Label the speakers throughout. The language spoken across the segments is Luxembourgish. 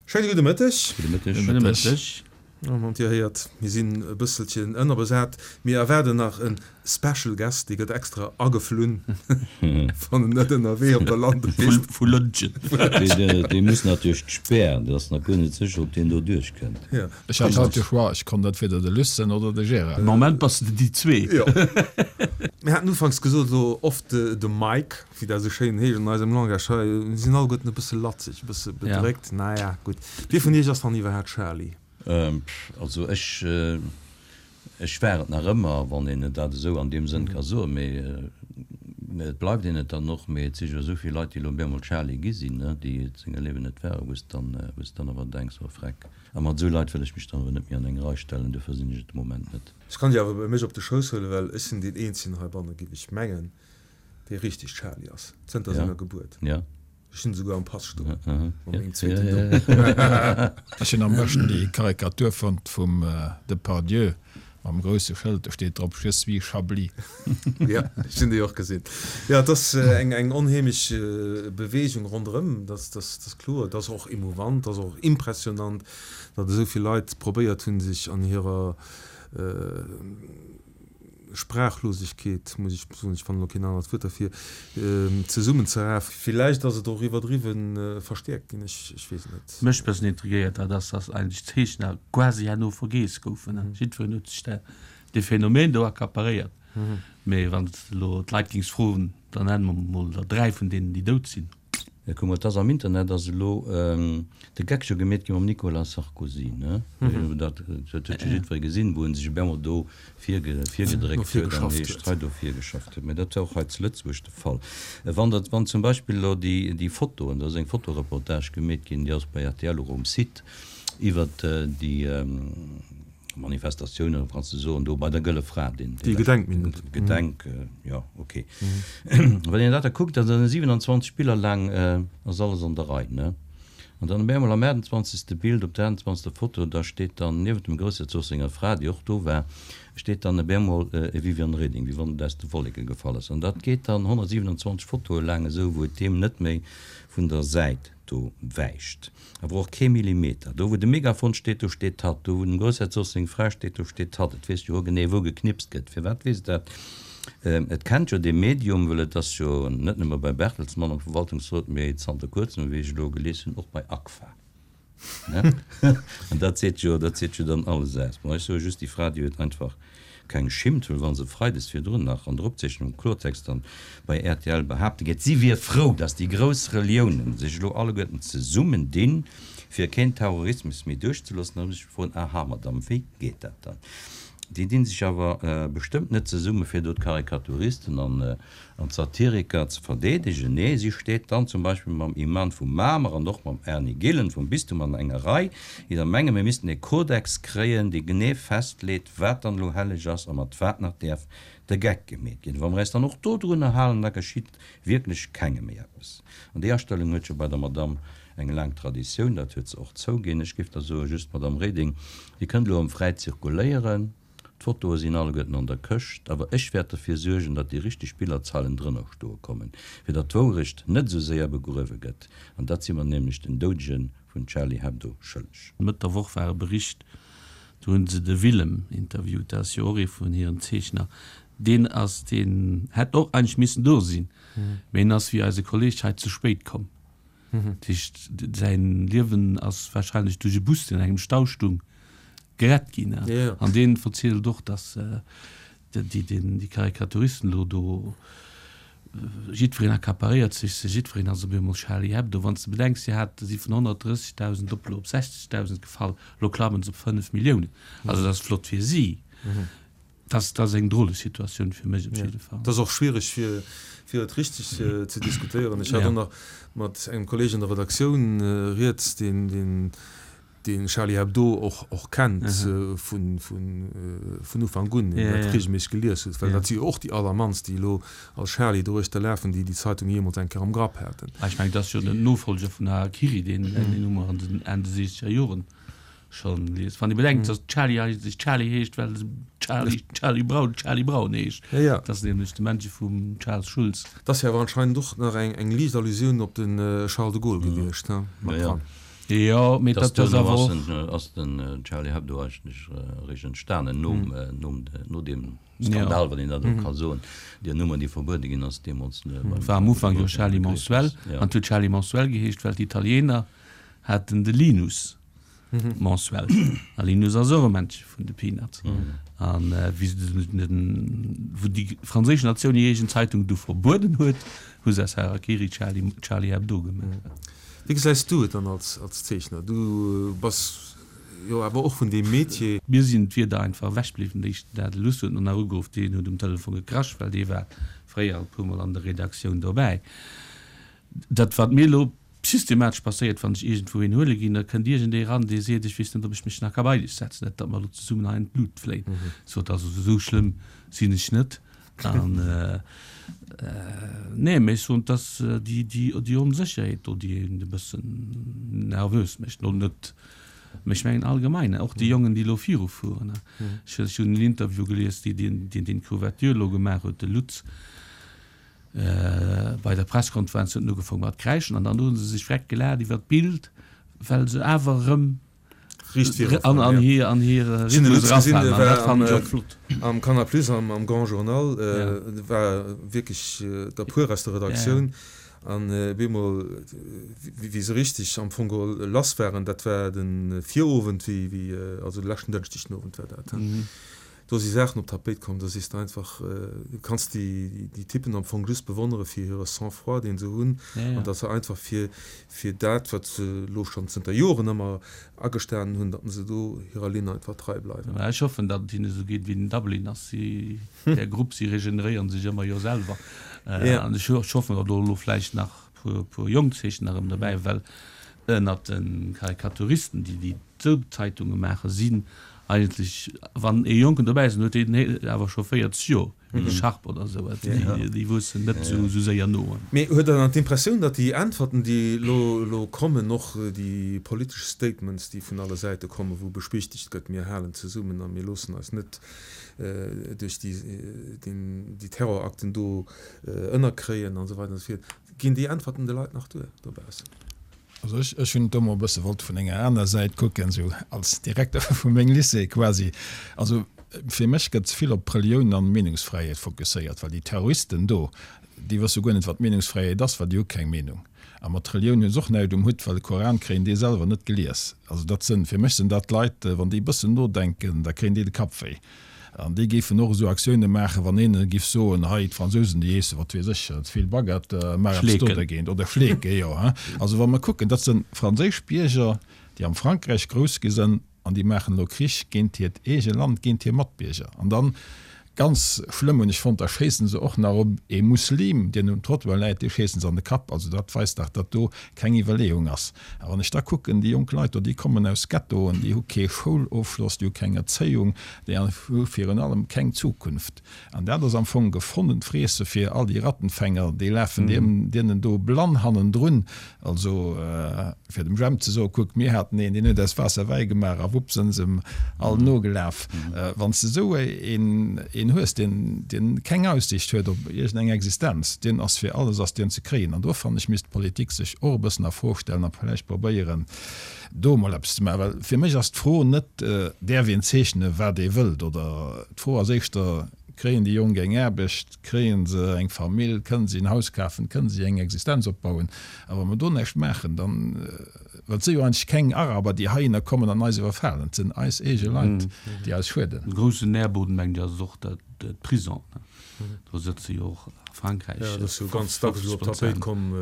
Speaker 1: Schéine gudde Mëtteg.
Speaker 2: Gudde Mëtteg.
Speaker 3: Gudde Mëtteg.
Speaker 1: An Dir héiert, mir sinn e bësselchen ënnerbesat. Mir erwaarden nach e Special Guest, dee gëtt extra ageflunn, wann en net ënnerwee op der Landepist.
Speaker 3: Vu Lëntgen.
Speaker 2: Dee muss nach duerch d'Spär, dat ass nach guer net sécher, ob deen do duerchkënnt.
Speaker 4: Ech hat haut de Choix, ech konnt entweder de Lucen oder de Gérard.
Speaker 3: Am Moment bass de déi zwee.
Speaker 1: Jo. Mir haten ufanks gesot, elo oft de Mike. Wéi dat esou schéin heescht an eisem Langage hei, mir sinn alleguerten e bësse latzeg, e bësse bedréckt. Naja, gutt. Wie vun iech ass dann iwwerhaapt Charly?
Speaker 2: Also ech, ech war et nach ëmmer, wann een et dat esou an deem Sënn ka soen, mee et bleift een et dann och. Mee et si jo esou vill Leit, déi elo op eemol Charly gi sinn, déi et senger Liewen net waren, wou s de dann, wou s de dann awer denks, oh Freck. A mat esou Leit wëll ech mech dann awer net méi an eng Rei stellen, duerfir sinn ech et de Moment net.
Speaker 1: Ech kann déi awer bei mech op de Schouss huelen, well ech sinn deen eenzegen heibanne, giff ech mengen, dee richteg Charly ass, zënter senger Gebuert. Ech hunn esouguer am Pass stoen, mat mengem zweeten Numm.
Speaker 4: Ech hunn am beschten déi Karikatur fonnt vum Depardieu mam grousse Schëld, do steet drop Je suis Chablis.
Speaker 1: Jo, ech hunn déi och gesinn. Jo, et ass eng eng onheemlech Beweegung ronderëm, dat ass kloer. Et ass och emouvant, et ass och impressionant, datt esou vill Leit probéiert hunn, sech an hirer Sprachlosegkeet, muss ech soen, ech fannen elo keen anert Wuert derfir, zesummenzerafen. Villäicht ass et och iwwerdriwwen verstäerkt ginn, ech weess et net.
Speaker 3: Mech bëssen intrigéiert dat ass, dass eigentlech d'Zeechner quasi herno vergeess goufen. Jiddwereen huet sech dat, dee Phänomen do accaparéiert. Mee wann s de elo d'Leit géings froen, dann nenne mer mol der 3 vun deenen, déi dout sinn.
Speaker 2: Kuck mol, et ass am Internet ass elo de Geck scho gemeet gi mam Nicolas Sarkozy, ne? Dat huet jo jiddweree gesinn, wou en sech op eemol do virgedréckt huet an heescht hei do virgeschafft huet. Mä dat war och hei zu Lëtzebuerg de Fall. Wann dat, wann zum Beispill elo déi, déi Fotoen, do ass eng Fotoreportage gemeet ginn, déi ass bei rtl och um Site, iwwert déi, Manifestatioun, oder kanns de soen, do bei der Gëlle Fra, deen,
Speaker 1: Déi Gedenkminutt.
Speaker 2: Gedenk, jo, ok. Wann een dat da kuckt, da sinn 27 Biller laang, ass alles an der Rei, ne? An dann op eemol am 28. Bild, op der 28. Foto, da steet dann niewent dem Groussherzog senger Fra, déi och do war, steet dann op eemol e Viviane Reding, wéi wann et aus de Wolleke gefall ass. An dat geet dann 127 Fotoe laang esou, wou et deem net méi vun der Säit do wäicht. Awer och kee Millimeter. Do wou de Megafon steet, do steet hatt. Do wou dem Groussherzog seng Fra steet, do steet hatt. Et weess jo genee wou geknipst gëtt. Firwat weess et dat? Et kennt jo dee Medium, well et ass jo net nëmme bei Bertelsmann am Verwaltungsrot, mee zanter kuerzem, wéi ech elo gelies hunn, och bei Agfa. An dat seet jo, dat seet jo dann alles aus. Bon, ech soe just, déi Fra, déi huet einfach keng Schimmt, well wa se freides virdrun nach an der Opzeechnung am Klortext dann bei rtl behaapte geet, si wier frou, datt déi grouss Reliounen sech elo alleguerten zesummen dinn, fir keen Terrorismus méi duerchzeloossen, da muss ech froen, Aha, Madame, wéi geet dat dann? Déi dinn sech awer bestëmmt net zesumme fir do d'Karikaturisten an An d'Satiriker ze verdeedegen? Nee, si steet dann zum Beispill mam Iman vu Mamer an och mam Erny Gillen vum Bistum an enger Rei, déi der menge mir missten e Kodex kréien, dee genee festleet, wat dann elo helleg ass a mat wat nach däerf de Geck gemeet ginn. Wa mer äis dann och dodrunner halen, da geschitt wierklech kengem méi eppes. An déi Astellung huet jo bei der Madamm eng laang Traditioun, dat huet se och zouginn. Ech géif da soen, just, Madamm Reding, Dir kënnt elo erëm fräi zirkuléieren. D'Fotoe sinn alleguerten an der Këscht, awer ech wäert derfir suergen, datt déi richteg Billerzeilen drënner stoe kommen, fir datt d'Wourecht net esou séier begruewe gëtt. An dat si mer nämlech den Doudege vun Charlie Hebdo schëlleg.
Speaker 3: Mëtt der Woch war e Bericht, do hunn se de Willem interviewt, dat ass jo och ee vun hiren Zeechner, deen ass, deen hätt och eigentlech missen do sinn, mee en ass wéi eise Kolleg hei ze spéit komm. Dat heescht, säin Liewen ass wahrscheinlech duerch e Bus, deen an engem Stau stung, gerett ginn. An deen verzielt och, dass déi Karikaturisten elo do, jiddwereen accaparéiert sech se, jiddwereen ass op eemol Charlie Hebdo. Wann s de bedenks, si hat, si vun 130.000 op elo op 60.000 gefall, elo klammen se op 5 Milliounen. Also dat ass flott fir si. Dat ass eng drole Situatioun fir mech op jidde Fall.
Speaker 1: Dat ass och schwiereg fir fir et richteg ze diskutéieren. Ech hat och nach mat engem Kolleeg an der Redaktioun rieds, deen deen deen Charlie Hebdo och och kennt vun vun vun Ufank un, deen dat reegelméisseg gelies huet, well dat si jo och déi allermannst, déi elo als Charlie doruechter lafen, déi déi Zeitung jeemools eng Kéier am Grapp haten.
Speaker 3: Ech mengen, dat ass jo den Nofolger vun Harakiri, deen deen hu mer an den Enn de siechzeger Joren Schon lies. Wann ee bedenkt, dass Charlie eigentlech Charlie heescht, well Charlie, Charlie Brown, Charlie Brown heescht.
Speaker 1: Ja, ja.
Speaker 3: Dat ass nämlech de Männche vum Charles Schulz.
Speaker 1: Dat ass jo awer anscheinend och nach eng, eng liicht Allusioun op de Charles de Gaulle gewiescht, ne? Mat
Speaker 2: dran.
Speaker 3: Jo, mee
Speaker 2: dat ass awer och. Ass den Charlie Hebdo eigentlech eréischt entstanen nom, nom, no deem Skandal, wann een dat esou ka soen, déi Nummer, déi verbuede ginn ass deemools.
Speaker 3: War am Ufank jo Charlie Mensuel, an et huet Charlie Mensuel geheescht, well d'Italiener haten de Linus Mensuel, a Linus ass och e Männche vun de Peanuts. An wéi se den, wou déi franséisch Natioun hir eegen Zeitung du verbueden huet, hu se aus Harakiri Charlie, Charlie Hebdo gemaach.
Speaker 1: Wéi gesäis du et dann als, als Zeechner? Du bass jo awer och vun deem Metier.
Speaker 3: Mir sinn d'Wierder einfach ewech bliwwen. De éischten Dag, de Luss huet nach ugeruff, deen huet um Telefon gekrasch, well dee war fréier e puermol an der Redaktioun dobäi. Dat, wat mir elo systematesch passéiert, wann ech iergendwou een huele ginn, da kënnt iergendee eran, dee seet, ech weess net, ob ech mech nach ka bei dech setzen, net datt mer elo zesummen hei an d'Lut fléien. Sot, also esou schlëmm sinn ech net. An, nee, mee ech soen, et ass déi, déi, déi Onsécherheet do, déi een e bëssen nervös mécht. Lo net, mee ech mengen allgemein, och déi Jongen, déi elo virufueren. Ech hunn en Interview gelies, deen, deen, deen d'Couverture elo gemaach huet, de Lutz, Bei der Presskonferenz huet en ugefaang mat kräischen an dann hu se sech vreck gelaacht iwwer d'Bild, well se awer erëm an an hir an hire Rhythmus erafalen an dat fannen ech och flott.
Speaker 1: Am Canal Plus am Grand Journal war wierklech der puer aus der Redaktioun an bemol wéi se richteg am Fong geholl lass waren, dat war de Virowend, wéi also de leschten Dënschdeg den Owend war dat. Do si Saachen op d'Tapéit komm, da sees de einfach, du kanns déi Typen am Fong just bewonnere fir hire Sang-froid, deen se hunn, an datt se einfach fir, fir dat, wat se elo schonn zënter Joren ëmmer agestanen hunn, datt se do hirer Linn einfach trei bleiwen.
Speaker 3: Mä ech hoffen, datt et hinne esou geet wéi den Dubliners, si, där Grupp, si regeneréiere sech ëmmer jo selwer. An ech hoffen, datt elo vläicht nach e puer jonk Zeechner erëm dobäi, well ënnert de Karikaturisten, déi déi Zeitunge maachen, sinn Eigentlech, wann ee Jonken dobäi ass, dann huet deen awer scho 40 Joer, wéi de Sharp oder esou. Déi wuessen net esou séier no.
Speaker 1: Mee huet Der dann d'Impressioun, datt déi Äntwerten, déi elo kommen, och déi politesch Statements, déi vun alle Säite kommen, wou bespichtegt gëtt, mir halen zesummen a mir loossen eis net duerch déi Terrorakten do ënnerkréien an esou weider an esou fiert, ginn déi Äntwerten de Leit nach duer dobaussen?
Speaker 4: Also ech, ech hunn et do mol e bësse wollt vun enger aner Säit kucken, esou als Direkter vu mengem Lycée quasi. Also fir mech gëtt ze vill op Relioun an Meenungsfräiheet fokusséiert, well déi Terroristen do, déi wësse guer net wat Meenungsfräiheet ass, well déi hu keng Meenung. A mat Relioun hu se och näischt um Hutt, well de Koran kréien déi selwer net gelies. Also dat sënn, fir mech sinn dat Leit, wann déi e bëssen nodenken, da kréien déi de Kapp wéi. An déi géifen och esou Aktioune maachen, wann een giff soen, hei d'Fransousen, déi iessen, wat weess ech, ze vill Baguette, maach eppes do dergéint. Oder Schleeke, jo. Also wa mer kucken, dat sinn franséisch Bierger, déi am Frankräich grouss gi sinn, an déi maachen elo Krich géint hiert eege Land, géint hir Matbierger. An dann, ganz schlëmm hunn ech fonnt, da schéissen se och nach op ee Muslim, deen um Trottoir läit, dee schéissen se an de Kapp. Also dat weist dach, datt do keng Iwwerleeung ass. A wann ech da kucken, déi jonk Leit do, déi kommen aus Ghettoen, déi hu kee Schoulofschloss, déi hu keng Erzéiung, déi hu virun allem keng Zukunft. An dat ass am Fong gefonnent Friesse fir all déi Rattenfänger, déi lafen deenen do blann hannendrun. Also fir dem Jemp ze soen, kuck, mir haten een, deen huet aus Waasser Wäi gemaach a wupp sënn se em all nogelaf. Wann s de esou een hues, deen keng Aussicht huet op iergendeng Existenz, deen ass fir alles ass deen ze kréien. An do fannen ech, misst d'Politik sech och e bëssen a Fro stellen a vläicht probéieren, do emol eppes ze maachen. Well fir mech ass d'Fro net, däerf een zeechnen, wat ee wëllt, oder d'Fro ass éischter, kréien déi Jonk eng Aarbecht, kréie se eng Famill, kënnen si en Haus kafen, kënnen si eng Existenz opbauen. A wa mer do näischt maachen, dann, Well et si jo eigentlech keng Araber, déi heihinner kommen an eis iwwerfalen. Et sinn eis eege Leit, déi eis schueden.
Speaker 3: E groussen Nährboden, mengen ech, ass och d'Prison. Do sëtze jo och a Frankräich.
Speaker 1: Jo, dat ass jo ganz dacks elo op d'Tapéit komm,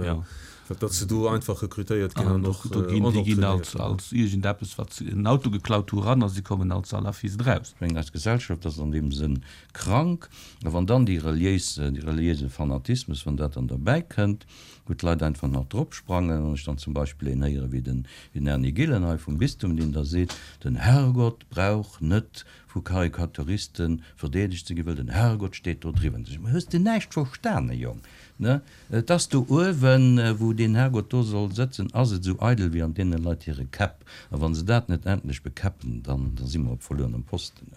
Speaker 1: datt se do einfach rekrutéiert ginn an och
Speaker 3: Do ginn déi ginn als als iergendeppes, wat se en Auto geklaut hu ran a si kommen als Salafist eraus.
Speaker 2: Ech mengen, eis Gesellschaft ass an deem Sënn krank. A wann dann déi reliéis, dee reliéise Fanatismus, wann dat dann derbäi kënnt, wou d'Leit einfach nach drop sprangen, wann ech dann zum Beispill een héiere wéi den Erny Gillen hei vum Bistum, deen da seet, den Herrgott brauch net vu Karikaturiste verdeedegt ze ginn, well den Herrgott steet do driwwer. Dann sot ech, Ma hues de näischt verstane, Jong? Ne? Et ass do uewen, wou deen Herrgott do soll sëtzen, ass et esou eidel wéi an deene Leit hire Käpp. A wa se dat net endlech bekäppen, dann da si mer op verluerenem Posten.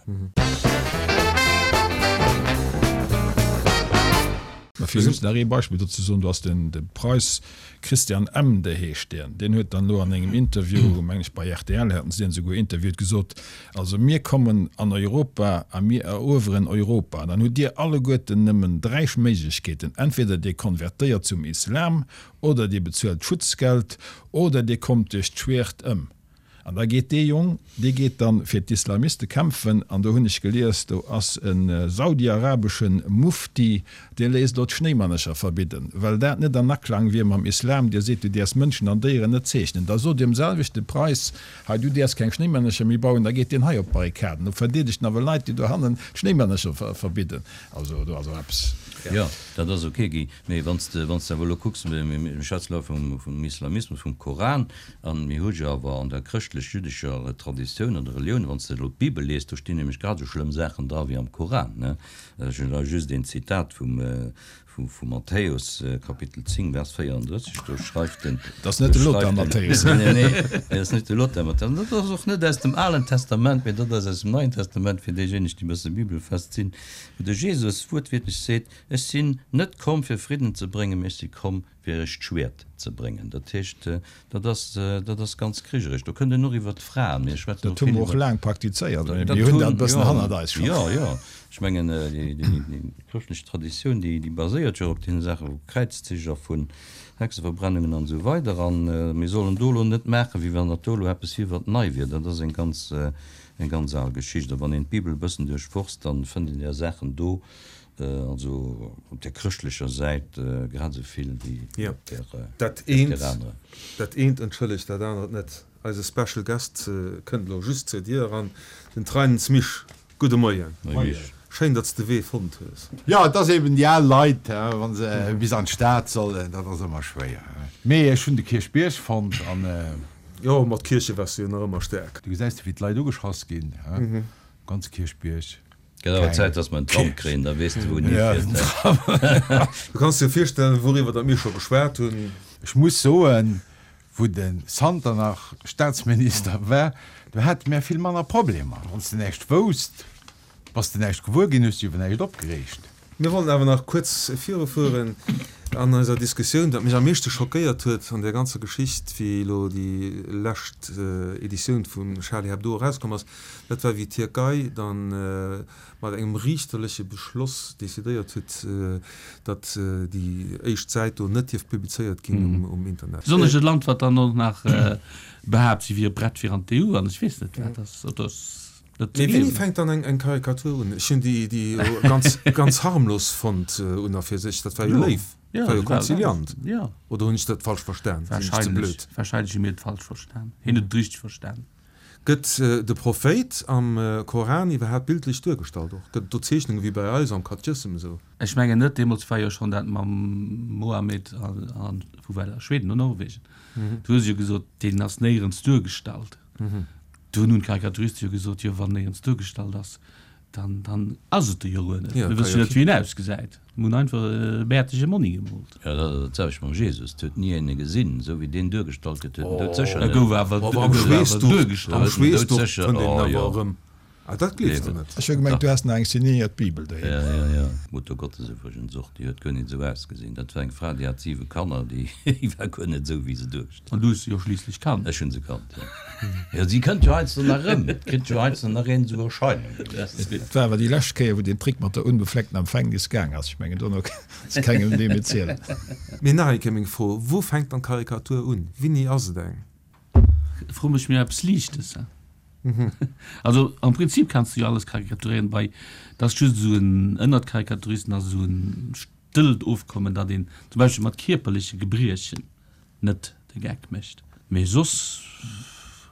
Speaker 4: Mä fir just nach ee Beispill do ze soen, do ass den de Preis Christian Emde heescht deen, deen huet dann elo an engem Interview, meng ech bei rtl haten se deen esouguer interviewt, gesot, also mir kommen an Europa a mir erueweren Europa an dann hutt Dir alleguerten nëmmen 3 Méiglechkeeten, entweder Dir konvertéiert zum Islam oder Dir bezuelt Schutzgeld oder Dir kommt duerch d'Schwert ëm. An da geet dee Jong, dee geet dann fir d'Islamiste kämpfen, an do hunn ech gelies, do ass e saudiarabesche Mufti, dee léisst elo d'Schnéimannecher verbidden, well dat net an Aklang wier mam Islam, dee seet, du däerfs Mënschen an Déieren net zeechnen. Da sot deem selwechte Preis, hei du däerfs keng Schnéimännercher méi bauen, da geet deen hei op d'Barrikaden, do verdeedegt en awer Leit, déi dohannen d'Schnéimännercher verbidden. Also do ass och eppes.
Speaker 2: Jo, dat ass ok, Guy. Mee wann s de, wann s de awer elo kucks, mir schwätzen elo vum, vum Islamismus, vum Koran, an mir hu jo awer an der chrëschtlech-jüddescher Traditioun an der Relioun, wann s de elo d'Bibel liest, do stinn nämlech grad esou schlëmm Saachen dra wéi am Koran, ne? Ech hunn hei just een Zitat vum, vu, vu Matthäus, Kapitel 10, Vers 34, do schreift den.
Speaker 4: Dat ass net de Lothar Matthäus.
Speaker 2: Nee, nee, dat ass net de Lothar Matthäus. An dat ass och net aus dem Alen Testament, mee dat ass aus dem Neien Testament, fir déijéineg, déi e bësse bibelfest sinn, wou de Jesus wuertwiertlech seet, Ech sinn net komm, fir Fridden ze bréngen, mee ech si komm, fir iech d'Schwäert ze bréngen. Dat heescht, dat ass, dat ass ganz krigerech. Do kënnt een och iwwert d'Fraen, mir schwätzen
Speaker 4: Dat hu mer och laang praktizéiert, mee mir hunn dat e bëssen hannert eis schonn.
Speaker 2: Jo, jo, ech mengen, déi chrëschtlech Traditioun, déi, déi baséiert jo op deene Saache vu Kräizzich a vun Hexeverbrennungen an esou weider. A mir sollen do elo net maachen, wéi wann dat do elo eppes wier, wat nei wier. Dat ass eng ganz, eng ganz al Geschicht. A wann een d'Bibel e bëssen duerchforst, dann fënnt een där Saachen do, Also op der chrëschtlecher Säit grad esou vill wéi op der
Speaker 1: anerer. Dat eent entschëllegt dat anert net. Eise Special Guest kënnt elo just zur Dier eran, den Treinens Misch. Gudde Moien.
Speaker 2: Moie Misch.
Speaker 1: Schéin, datt s de Wee fonnt hues.
Speaker 5: Jo, et ass eben déi al Leit, wa se bis an d'Stad sollen, dat ass ëmmer schwéier. Mee ech hunn de Kierchbierg fonnt an.
Speaker 1: Jo, mat Kierche waars du jo nach ëmmer staark.
Speaker 5: Du gesäis de wéi d'Leit ugeschrass ginn, um ganze Kierchbierg.
Speaker 2: Gëtt awer Zäit, dass mer en Tram kréien, da weess de wou en hifiert.
Speaker 1: Du kanns dir virstellen, wouriwwer datt mir scho geschwat hunn.
Speaker 5: Ech muss soen, wou de Santer nach Staatsminister war, do hate mär vill manner Problemer. Wann s de näischt wousst, bass de näischt gewuer ginn, hues dech iwwer näischt opgereegt.
Speaker 1: Mir wollen awer nach kuerz virufueren an eiser Diskussioun. Wat mech am meeschte schockéiert huet an där ganzer Geschicht, wéi elo déi lescht Editioun vu Charlie Hebdo erauskomm ass, dat war, wéi d'Tierkei da mat engem riichterleche Beschloss decidéiert huet, datt déi éischt Säit do net dierf publizéiert ginn um Internet.
Speaker 3: Besonnesch e Land, wat dann och nach behaapt, si wier prett fir an d'EU an ech weess net wat. Dat ass
Speaker 1: net ze gleewen. Mee wéini fänkt dann eng Karikatur un? Ech hunn déi ganz, ganz harmlos fonnt un a fir sech. Dat war jo léif, dat war jo konziliant. Oder hunn ech dat falsch verstan?
Speaker 3: Sinn ech ze blöd? Wahrscheinlech hu mir et falsch verstan. Hien huet et richteg verstan.
Speaker 1: Gëtt de Prophéit am Koran iwwerhaapt bildlech duergestallt och? Gëtt et do Zeechnungen wéi bei eis am Katechissem esou?
Speaker 3: Ech mengen net. Deemools war jo schonn dat mam Mohammed a wou war dat? Schweden oder Norwegen? Do hu se jo gesot, deen ass néierens duergestallt. Do hunn d'Karikaturiste jo gesot, jo wann néierens duergestallt ass, Dann, dann ass et de jo guer net. Mir wësse jo net, wéi en ausgesäit. Mir hunn einfach e bäertege Monni gemoolt.
Speaker 2: Jo, dat ass dat selwecht mam Jesus. Et huet ni een e gesinn. Esou wéi deen duergestallt gëtt, huet en doudsécher
Speaker 3: net. E gouf awer, e gouf awer duergestallt.
Speaker 1: Am Schweessduch fënnt een en awer erëm. Ah, dat gleefs de net.
Speaker 4: Ech hu gemengt, du häss nach eng signéiert Bibel
Speaker 2: doheem. Jo, jo, jo. D'Mutter Gottes iwwregens och, déi huet guer net esou ausgesinn. Dat war eng Fra, déi hat siwe Kanner, déi war guer net esou, wéi se duergestallt.
Speaker 3: An du hues se jo schliisslech kannt.
Speaker 2: Ech hunn se kannt, jo. Jo, si kënnt jo heiansdo nach erëm. Et kritt jo heiansdo nach een esou Erscheinungen.
Speaker 4: Et war awer déi lescht Kéier, wou deen Trick mat der unbefleckten Empfängnis gaang ass. Ech mengen, dono kanns de kengem dee méi zielen.
Speaker 1: Mee nach eng Kéier meng Fro, Wou fänkt dann d'Karikatur un? Wéini ass et eng?
Speaker 3: Fro mech mir eppes Liichtes. Also am Prinzip kanns du jo alles karikaturéieren, bei dat ass just esou en, ënnert Karikaturisten ass esou en stëllt Ofkommen, datt een zum Beispill mat kierperleche Gebriechen net de Geck mécht. Mee soss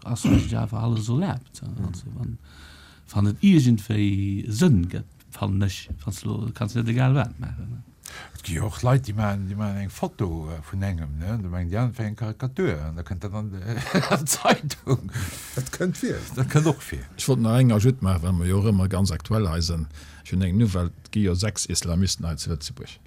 Speaker 3: ass eigentlech awer alles erlaabt. Also wann, wann et iergendwéi Sënn gëtt, fannen ech, wanns de elo, kanns net egal wat maachen.
Speaker 5: Et gi jo och Leit, déi maachen, déi maachen eng Foto vun engem, ne, an da mengen déi aner, et wär eng Karikatur, an da kënnt dat an d'Zeitung.
Speaker 1: Dat kënnt vir.
Speaker 5: Dat kënnt och vir.
Speaker 4: Ech wollt nach eng Ajoute maachen, well mer jo och ëmmer ganz aktuell hei sinn. Ech hunn eng Nouvelle, Et gi jo 6 Islamisten hei zu Lëtzebuerg.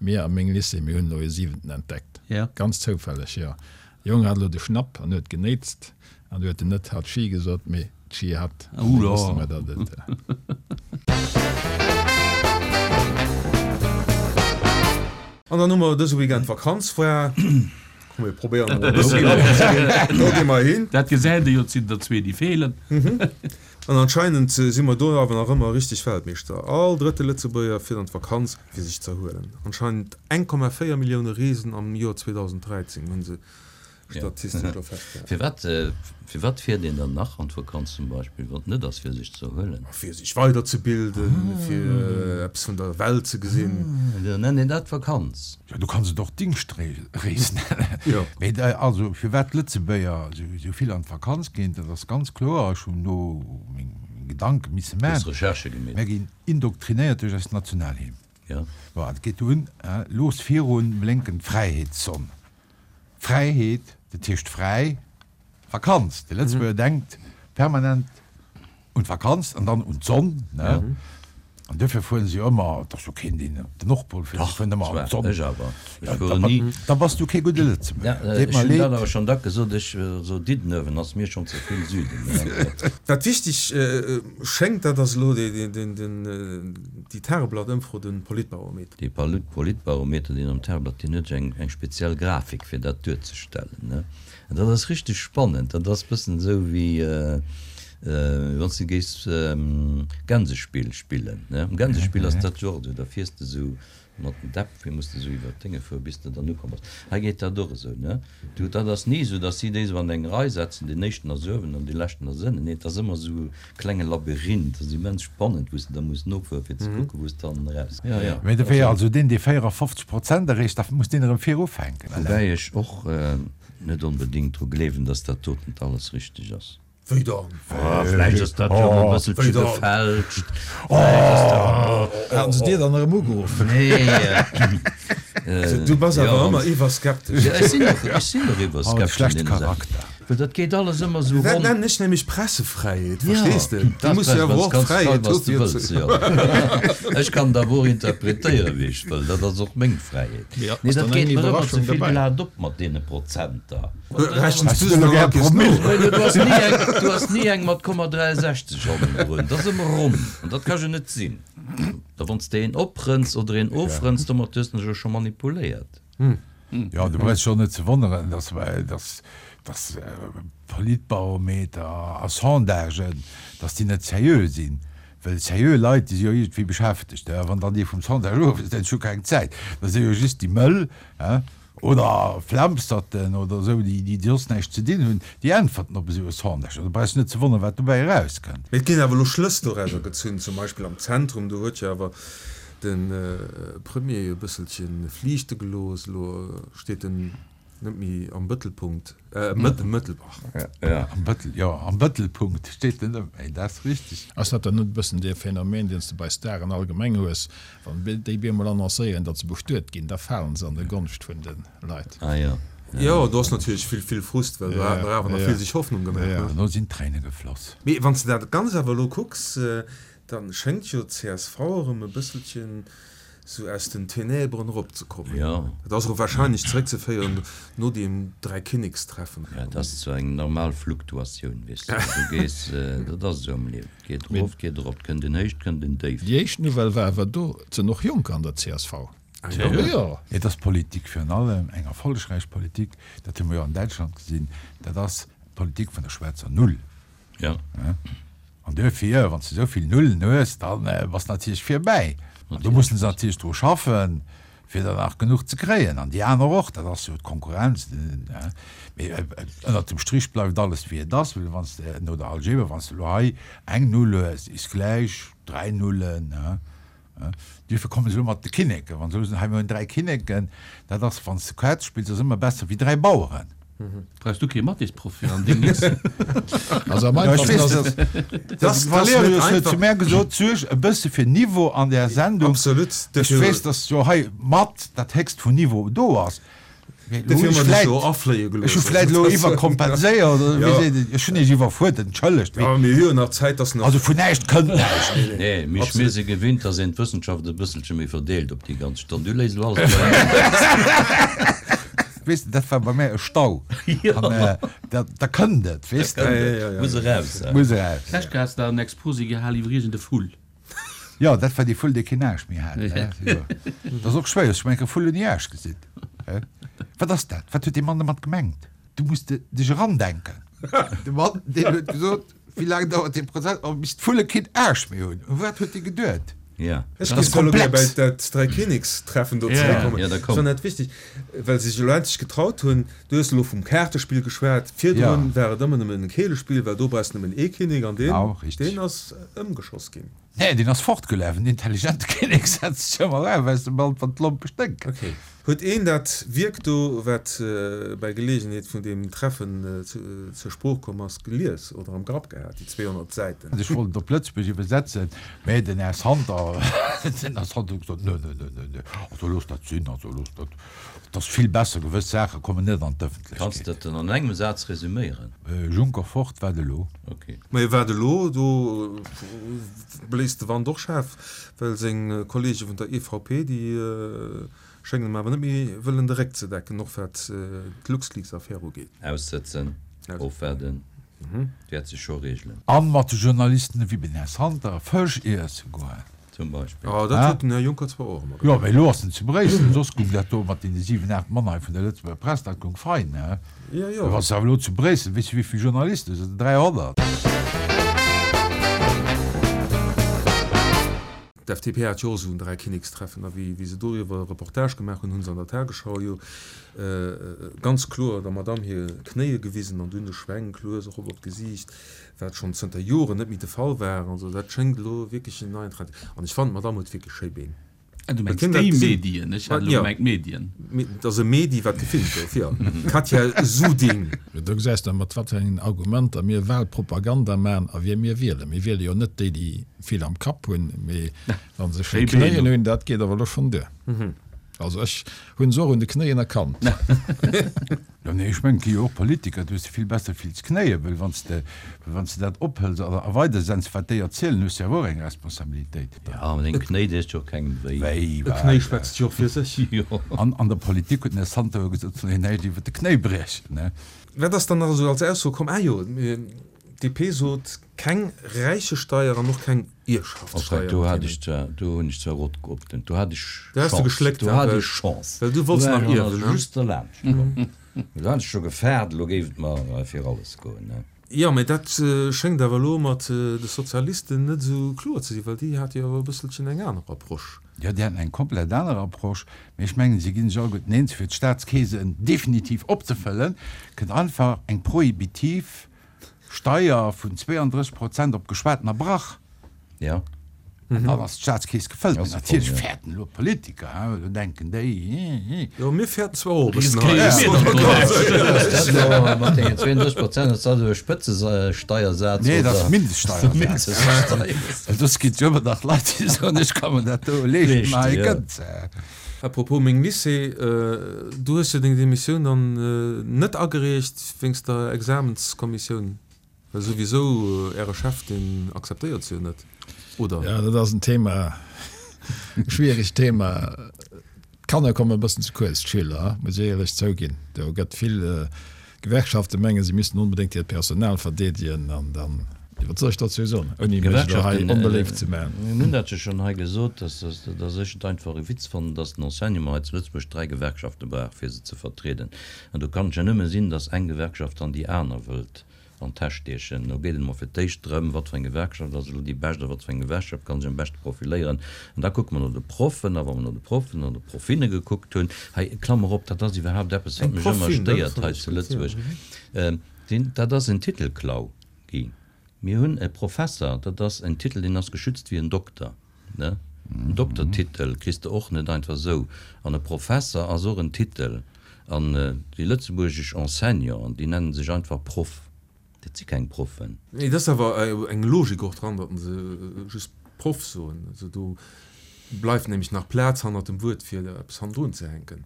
Speaker 4: Mir a meng Lycée, mir hunn elo ee siwenten entdeckt. Ganz zoufälleg, jo. De Jong hat elo de Schnapp an huet genéitst an du huet en net Hatschi gesot, mee Dschihad. An da wosste mer, datt et.
Speaker 1: An dann hu mer dëse Weekend Vakanz, war. Komm mir probéieren emol e bëssen labber ze ginn. Do gi mer hin.
Speaker 3: Dat gesäit ee jo, et sinn der zwee déi feelen.
Speaker 1: An anscheinend si mer do awer nach ëmmer richteg Weltmeeschter. All drëtte Lëtzebuerger fiert an d'Vakanz fir sech z'erhuelen. Anscheinend 1,4 Millioune Reesen am Joer 2013 hu se statistesch elo festgehalen.
Speaker 2: Firwat, firwat fiert een dann nach an d'Vakanz zum Beispill, wann et net ass fir sech ze erhuelen?
Speaker 1: Fir sech weiderzebilden, fir eppes vun der Welt ze gesinn.
Speaker 2: Da nennt een dat Vakanz.
Speaker 5: Jo, du kanns et och Dingschtrees nennen. Mee also firwat d'Lëtzebuerger esou vill an d'Vakanz ginn, dat ass ganz kloer. Ech hunn do meng Gedanke misse
Speaker 2: maachen. Du hues Recherchë gemeet.
Speaker 5: Mir ginn indoktrinéiert duerch eis Nationalhymn.
Speaker 2: Jo.
Speaker 5: Bon, et geet un, Looss virun blénken d'Fräiheetssonn. Fräiheet, dat heescht fräi, Vakanz. De Lëtzebuerger denkt permanent un d'Vakanz an dann un d'Sonn, ne? An duerfir fueren se jo ëmmer, et ass jo keen, deen op den Nordpol fiert, se fueren ëmmer an d'Sonn.
Speaker 2: Ech awer, ech fueren ni.
Speaker 5: Da bass du kee gudde Lëtzebuerger,
Speaker 2: deet mer leed. Ech hunn dat awer schonn dack gesot, ech, esou Diddenuewen ass mir schonn ze vill Süden.
Speaker 1: Wat wichteg schéngt, dat ass elo déi Tageblatt-Ëmfro, de Politbarometer.
Speaker 2: Dee Politbarometer, deen am Tageblatt, deen huet jo eng speziell Grafik, fir dat duerzestellen, ne? An dat ass richteg spannend. Dat ass bëssen esou wéi wann s de géifs Gänsespill spillen, ne? Am Gänsespill ass dat jo och esou, da fiers de esou mat den Däpp, wéi muss de esou iwwer d'Dénge fueren, bis de dann ukomm bass. Hei geet dat och esou, ne? Du, dat ass ni esou, datt si déi esou an eng Rei setzen, deen éischten ass uewen an dee leschten ass ënnen. Nee, et ass ëmmer esou e klenge Labyrinth. Dat ass immens spannend, wou s de da muss nofueren, fir ze kucken, wou s de hannen eraus.
Speaker 5: Jo, jo. Mee da wier also deen, dee 54 Prozent erreecht, da muss deen erëm vir ufänken.
Speaker 2: Woubäi ech och net onbedéngt dru gleewen, datt dat doten alles richteg ass.
Speaker 1: Wéi dann?
Speaker 2: Oh, vläicht ass dat jo e bësselche gefälscht. Vläicht ass dat.
Speaker 4: Haten se dir dann erëm ugeruff?
Speaker 2: Nee.
Speaker 1: Du bass awer ëmmer iwwerskeptesch.
Speaker 2: Jo, ech sinn och, ech sinn och iwwerskeptesch an deene Saachen. Well dat geet alles ëmmer esou
Speaker 1: Dat
Speaker 2: ronn.
Speaker 1: nennen ech nämlech Pressefräiheet,
Speaker 2: Ja,
Speaker 1: verstees de? Du
Speaker 2: dat
Speaker 1: muss jo awer
Speaker 2: ass
Speaker 1: och
Speaker 2: kanns
Speaker 1: Fräiheet
Speaker 2: schreiwen,
Speaker 1: hu
Speaker 2: wat s de
Speaker 1: fir
Speaker 2: wëlls,
Speaker 1: ze.
Speaker 2: jo. Ech kann et awer och interpretéieren, wéi ech wëll. Dat ass och meng Fräiheet.
Speaker 4: Mee
Speaker 2: Nee,
Speaker 4: ass
Speaker 2: dat
Speaker 4: dann
Speaker 2: geet
Speaker 4: eng
Speaker 2: mer ëmmer ze
Speaker 4: Iwwerraschung
Speaker 2: vill
Speaker 4: dobäi?
Speaker 2: glat op mat deene Prozenter.
Speaker 1: Rechens du se nach all Kees no?
Speaker 2: Du has ni eng, du has ni eng mat 0,63 hannendrun. Dat ass ëmmer ronn an dat ka jo net sinn. Da wann s de een oprënns oder een ofrënns, domat hues de jo scho manipuléiert.
Speaker 5: Jo, du brauchs dech och net ze wonneren, dass, dass, dass Politbarometer a Sondagen, dass déi net seriö sinn. Well seriö Leit, déi si jo iergendwéi beschäftegt. A wann dann dee vum Sondage ofrënnt, ech hu keng Zäit, da si jo just déi Mëll, Oder Flammsterten oder esou, déi soss näischt ze dinn hunn, déi äntwerten op esou e Sondage. Also brauchs net ze wonneren, wat dobäi erauskënnt.
Speaker 1: Mee et ginn awer elo Schlëss dorauser gezunn, zum Beispill am Zentrum, do huet jo awer de Premier e bësselche fliichte gelooss. Elo steet en net méi am Bëttelpunkt, Mëttel, Mëttel, ach.
Speaker 5: Am Bëttel, jo, am Bëttelpunkt steet en net méi, dat ass richteg.
Speaker 4: Ass dat dann net e bëssen dee Phänomen, deen s de bei Staren allgemeng hues, Wann déi bemol annoncéieren, datt se bestuet ginn, da falen se an de Gonscht vun de Leit.
Speaker 2: Ah jo.
Speaker 1: Jo, do ass natierlech vill, vill Frust, well do hat mer awer nach vill sech Hoffnung gemaach, ne?
Speaker 5: Dono sinn d'Tréine gefloss.
Speaker 1: Mee wann s de dat Ganzt awer elo kucks, da schéngt jo d'CSV erëm e bësselchen sou aus den Ténèbren eropzekommen.
Speaker 2: Jo.
Speaker 1: Dat ass och wahrscheinlech zeréckzeféieren no deem Dräikinnekstreffen.
Speaker 2: Ja, dat ass sou eng normal Fluktuatioun, weess de. Du gees, dat ass esou am Liewen. Geet erof, geet erop, 't kënnt en Héich, 't kënnt en Déif.
Speaker 4: Déi éischt Nouvelle war awer do, 't sënn och Jonker an der csv.
Speaker 1: Ah jo?
Speaker 5: Et ass Politik virun allem, eng erfollegräich Politik, dat hu mer jo an Däitschland gesinn, dat ass d'Politik vun der schwaarzer Null.
Speaker 2: Ja.
Speaker 5: An duerfir, wann s de esou vill Nullen hues, da bass de natierlech virbäi. An do mussen se natierlech dru schaffen, fir der nach genuch ze kréien. An déi aner och, dat ass jo d'Konkurrenz. Mee ënnert dem Strich bleift alles wéi et ass, well wann s de no der Algebra, wann s de elo hei eng Null hues, is gläich dräi Nullen. Duerfir komme se elo mat de Kinneken. Wa se elo soen, hei mir hunn dräi Kinneken, dat ass, wann s de Quetz spills, ass ëmmer besser wéi dräi Baueren.
Speaker 3: Brauchs du kee Mathésproff fir an deng Lycée?
Speaker 4: Also am
Speaker 5: einfachsten
Speaker 4: ass et.
Speaker 5: De Valerius huet zu mär gesot, suerg e bësse fir Niveau an där Sendung.
Speaker 1: Absolut.
Speaker 5: Ech weess, datt jo hei mat dat héchst vun Niveau do ass.
Speaker 1: Dofir hu mer dech jo afléie gelooss.
Speaker 5: Ech hu vläit elo iwwerkompenséiert oder wéi seet een? Ech hunn iech iwwerfuerdert, entschëllegt.
Speaker 1: Jo, mir hu jo nach Zäit, dass nach.
Speaker 5: Also vun näischt kënnt näischt.
Speaker 2: Nee, mee mir si gewinnt, dass een d'Wëssenschaft e bësselche méi verdeelt op déi ganz Stonn. Du léis elo alles op eemol.
Speaker 5: Weess de, dat war bei mär e Stau. An da kënnt et, weess de.
Speaker 2: Muss eraus.
Speaker 5: Muss eraus.
Speaker 3: D'lescht Kéier has de en Exposé gehal iwwer iergend e Vull.
Speaker 5: Jo, dat war dee Vull, dee keen Aarsch méi hat. Jo. Dat ass och schwéier. Ech hu eng Kéier e Vull ouni Aarsch gesinn. Wat ass dat? Wat huet dee Mann domat gemengt? Du muss de dech erandenken. De Mann, deen huet gesot, Wéi laang dauert dee Prozess? Oh, bis d'Vulle keen Aarsch méi hunn. U wat huet dee geduet?
Speaker 2: Ja.
Speaker 1: Ech
Speaker 5: Dat ass
Speaker 1: géif elo gär bei
Speaker 5: komplex.
Speaker 1: dat Dräikinnekstreffen do
Speaker 2: Ja,
Speaker 1: zeréckkommen.
Speaker 2: ja, da
Speaker 1: Ech
Speaker 2: komm.
Speaker 1: fannen dat wichteg, well se sech elo endlech getraut hunn. Du hues elo vum Kaartespill geschwat. Virdrun
Speaker 5: Ja.
Speaker 1: war et ëmmer nëmmen e Keelespill, well do brauchs de nëmmen ee Kinnek an deen,
Speaker 5: Genau, richtig.
Speaker 1: deen ass ëmgeschoss ginn.
Speaker 5: Nee, deen ass fortgelaf. En intelligente Kinnek setzt sech ëmmer auf aus dem Land, wann d'Lompe sténken.
Speaker 1: Okay. Huet een dat Wierk do, wat bäi Geleegenheet vun deem Treffen zur Sprooch komm ass, gelies oder am Grapp gehat, déi 200 Säiten?
Speaker 5: Ech wollt et op Lëtzebuerg iwwersetzen, mä den Här Santer, den Här Santer huet gesot, Nö, nö, nö, nö, nö, also looss dat sinn, also looss dat, et ass vill besser, gewëss Saache kommen net an d'Ëffentlechkeet.
Speaker 2: Kanns de dat dann an engem Saz resüméieren?
Speaker 5: Juncker fort, wat elo?
Speaker 2: Okay.
Speaker 1: Mä wat elo? Do bléist de Wand och schaarf, well seng Kollege vun der EVP, déi Schéngen em awer net méi wëllen de Réck ze decken, och wat d'LuxLeaks-Affär ugeet.
Speaker 2: Aussëtzen, ofwaarden, wäert sech scho reegelen.
Speaker 5: An mat de Journalisten ewéi den Här Santer Fësch iesse goen.
Speaker 2: Zum Beispill.
Speaker 1: Ah, dat huet den Här Juncker zwar och ëmmer
Speaker 5: Jo,
Speaker 1: gemaach.
Speaker 5: mee elo ass en zu Bréissel, soss gung dat do mat deene 7, 8 Mann hei vun der Lëtzebuerger Press, dat gung fein, he?
Speaker 1: Jo, jo.
Speaker 5: Wann s de awer elo zu Bréissel, weess du wéivill Journalisten, dat sinn 300.
Speaker 1: D'FDP hat jo och esou en Dräikinnekstreffen, a wéi se doriwwer e Reportage gemaach hunn, hu se an der Tagesschau jo ganz kloer der Madamm hir Knéie gewisen an dunn de Schwenk lues erop op d'Gesiicht, wat schonn zënter Joren net méi de Fall war. Also dat schéngt elo wierklech en neien Trend. An ech fannen, d'Madamm huet wierklech schéi Been.
Speaker 3: Ah, du
Speaker 1: Huet
Speaker 3: mengs
Speaker 1: hien dat
Speaker 3: déi
Speaker 1: gesinn?
Speaker 3: Medien? Ech hat elo
Speaker 1: Jo.
Speaker 3: gemengt d'Medien.
Speaker 1: Et ass e Medi, wat gefilmt gouf, jo. Katja Suding.
Speaker 4: Do gesäis de, mat wat fir engen Argumenter mir Wahlpropaganda maachen a wie mir wielen. Mir wiele jo net déi, déi vill am Kapp hunn, mee wa se schéi Knéien hunn, dat geet awer elo schonn duer. Also ech hunn se och un de Knéien erkannt.
Speaker 5: Jo, nee, ech mengen, et gi jo och Politiker, do hues de vill besser vill Knéien, well wann s de, well wann s de dat ophëls a a weidersends, wat déi erzielen, hues de awer och eng Responsabilitéit.
Speaker 2: Jo, mä deng Knéi deet jo och kengem wéi.
Speaker 5: Wéi,
Speaker 1: E
Speaker 5: wat?
Speaker 1: Knéi schwätzt jo och fir sech.
Speaker 2: Jo.
Speaker 5: An an der Politik huet den Här Santer jo gesot, et soll een näischt iwwer de Knéi briechen, ne?
Speaker 1: Wat ass dann nach esou als Ausso komm? Ah jo, d'DP sot, keng Räichesteier an och keng
Speaker 2: Enfin, do
Speaker 1: Ierfschaftssteier.
Speaker 2: hat ech zwar, do hunn ech zwar rot geoptent, do hat ech
Speaker 1: Do has du
Speaker 2: Chance,
Speaker 1: geschléckt,
Speaker 2: do hat
Speaker 1: well,
Speaker 2: ech Chance.
Speaker 1: well du wollts
Speaker 2: Do war
Speaker 1: nach
Speaker 2: ech also
Speaker 1: ierwen, ne?
Speaker 2: just derlaanscht komm. Do hat ech scho gefaart, elo géif et mer fir alles goen, ne?
Speaker 1: Jo, mä dat schéngt awer elo mat de Sozialisten net esou kloer ze sinn, well déi hate jo awer e bësselchen eng aner Approche.
Speaker 5: Jo, déi haten eng komplett aner Approche, mä ech mengen, si gi sech alleguerten eens, fir d'Staatskeesen definitiv opzefëllen, kënnt einfach eng prohibitiv Steier vun 32 Prozent op geschwatener Brach.
Speaker 2: Ja.
Speaker 5: An dann ass d'Staatskeess gefëllt. Mee
Speaker 2: Ass se voll,
Speaker 5: natierlech
Speaker 2: ja.
Speaker 5: fäerten elo d'Politiker, hein, well do denken déi, hi, hi.
Speaker 1: Jo, mir fäerten zwar och e bëssen hei.
Speaker 3: Riskéiere mir dann do
Speaker 2: Ass dat elo mat deenen 32 Prozent, ass dat elo e Spëtzesteiersaz
Speaker 5: Nee, dat ass
Speaker 2: oder?
Speaker 5: Mindeststeiersaz.
Speaker 2: Mindeststeiersaz.
Speaker 5: Well soss ginn et jo ëmmer nach Leit, déi soen, ech ka mer dat do leeschten,
Speaker 2: Leeschten,
Speaker 5: ma hei
Speaker 2: ja.
Speaker 5: kënnt se.
Speaker 1: À propos meng Lycée, du hues jo deng Demissioun dann net agereecht wéinst der Examenskommissioun, well souwisou äre Chef deen akzeptéiert se jo net, oder?
Speaker 4: Jo, dat ass en Thema, e schwieregt Thema. D'Kanner kommen e bëssen ze kuerz, d'Schüler, muss ech éierlech zouginn. Do gëtt vill D'Gewerkschafte mengen, se missten onbedéngt hiert Personal verdeedegen an dann, wat soll ech dozou soen, ouni mech elo hei onbeléift ze maachen.
Speaker 2: Mir hunn dat jo schonn hei gesot, dass ech et einfach e Witz fannen, dass den Enseignement hei zu Lëtzebuerg dräi Gewerkschafte brauch, fir se ze vertrieden. An do kann et jo nëmme sinn, dass eng Gewerkschaft dann déi aner wëllt an d'Täsch stiechen. Do geet et emol fir d'éischt drëm, wat fir eng Gewerkschaft ass elo déi bescht a wat fir eng Gewerkschaft kann sech am beschte profiléieren. An da kucke mer no de Proffen. A wa mer no de Proffen an de Proffinne gekuckt hunn, hei, Klammer op, dat ass iwwerhaapt eppes, wat
Speaker 1: Eng
Speaker 2: mech ëmmer
Speaker 1: Proffin, dat
Speaker 2: stéiert
Speaker 1: fannt
Speaker 2: hei
Speaker 1: ech
Speaker 2: zu
Speaker 1: gutt, ja.
Speaker 2: Lëtzebuerg, deen, dat ass en Titelklau gi. Mir hunn e Professer, dat ass en Titel, deen ass geschützt wéi en Dokter, ne? En Doktertitel kriss de och net einfach esou. An e Professer ass och en Titel. An déi lëtzebuergesch Enseignanten, déi nennen sech einfach Proff. Dat si keng Proffen.
Speaker 1: Nee, et ass awer eng Logik och dran, datt se just Proff soen. Also do bleift nämlech nach Plaz hannert dem Wuert, fir eppes hannendrun ze hänken.